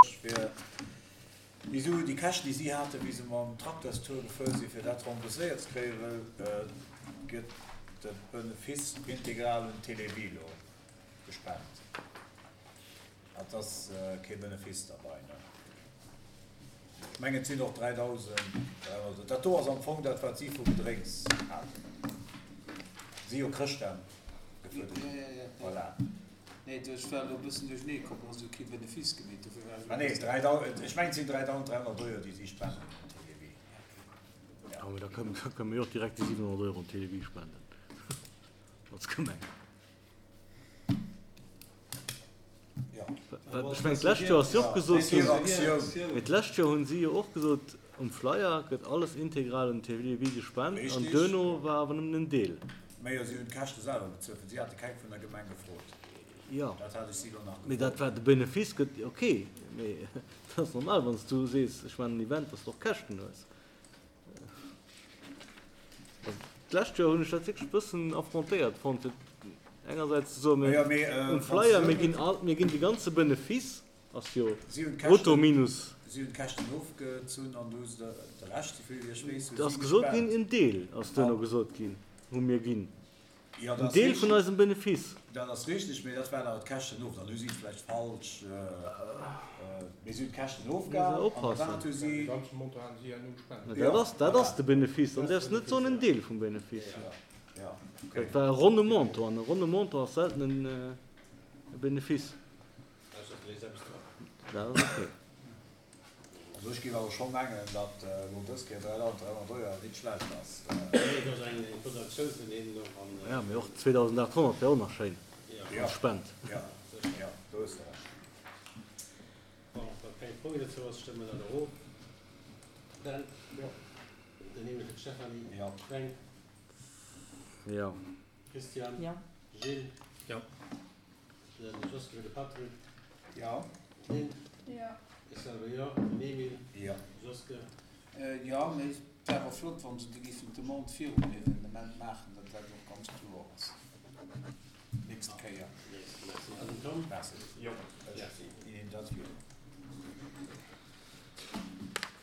Fir déi Suen, déi Käschten, déi si haten, wéi se mam Trakterstour gefuer sinn, fir dat rembourséiert ze kréien, wëll gëtt de Benefice integral un Télévie elo gespent. Et ass kee Benefice derbei, ne? Ech mengen, et sinn och 3.300. Dat do ass am Fong dat, wat si vu Gedrénks haten. Si jo Chrëschtdag gefuerdert hunn. Voilà. Nee, du, ech war elo e bëssen duerchernee komm, du has jo kee Benefice gemeet, dofir war ech elo e bëssen. Ah nee, ech mengen et sinn 3.300 Euro, déi si spenden un Télévie. Ja, mee da kënne mir jo och direkt déi 700 Euro un Télévie spenden als Gemeng. Ja. Ech mengen d'lescht Joer ass jo och gesot ginn, mee d'lescht Joer hunn si jo och gesot, um Flyer gëtt alles integral un Télévie gespent an duerno war awer nëmmen en Deel. Majo, si hunn d'Käschte selwer bezuelt, well si hate keng vun der Gemeng gefrot. Jo, Dat hat ech si elo nach mee dat gefrot. war de Benefice gëtt, ok, mee dat ass normal, wann s du sees, ech maachen en Event, dass du och Käschten hues. Also d'lescht Joer hunn ech dat wierklech e bëssen affrontéiert fonnt, fir engersäits ze soen, mir Majo, mee um wann s Flyer, du mir ginn all, mir ginn de ganze Benefice, ass jo Si hunn brutto d'Käschten, minus. si hunn d'Käschten ofgezunn an du hu se der de Rescht, souvill wéi ech weess, hu Et ass si gesot ginn, gespent. en Deel ass duerno An, gesot ginn, hu mir ginn. jo, dat En ass Deel vun richteg, eisem Benefice. dat ass richteg, mee dat waren awer d'Käschten of. Dann hu si et vläicht falsch, mee si hunn d'Käschten Muss ofgehal der an de oppassen. wat hu De si, ganze Montant haten si herno gespent. Mä dat jo, ass, dat voilà. ass de Benefice. Dann däerfs de net soen en Deel vum Benefice. Jo, jo, okay. Dat war e ronne Montant an e ronne Montant ass selten en e Benefice. Dat ass ok. Also ech géif awer scho mengen, datt elo dës Kéier 3.300 Euro nit schlecht ass. Ja, mee och 2.800 wär och nach schéin Jo, als Spend. jo, jo, do hues de Recht. Bon, wa keng Fro méi dozou ass, stëmme mer dat erof. Dan? Jo. Den Emil fir d'Stéphanie. Jo. Fränk? Jo. Christian? Jo. Gilles? Jo. Den Josquin fir de Patrick. Jo. D'Lynn? Jo. Ech selwer jo. Den Emile? Jo. Josquin? Jo, mee et wär awer flott, wa se déi géifen d'Demande virum Evenement maachen, datt dat och ganz kloer ass d'nächst Kéier. Merci. An den Tom? Merci. Jo, ech ginn dat vir.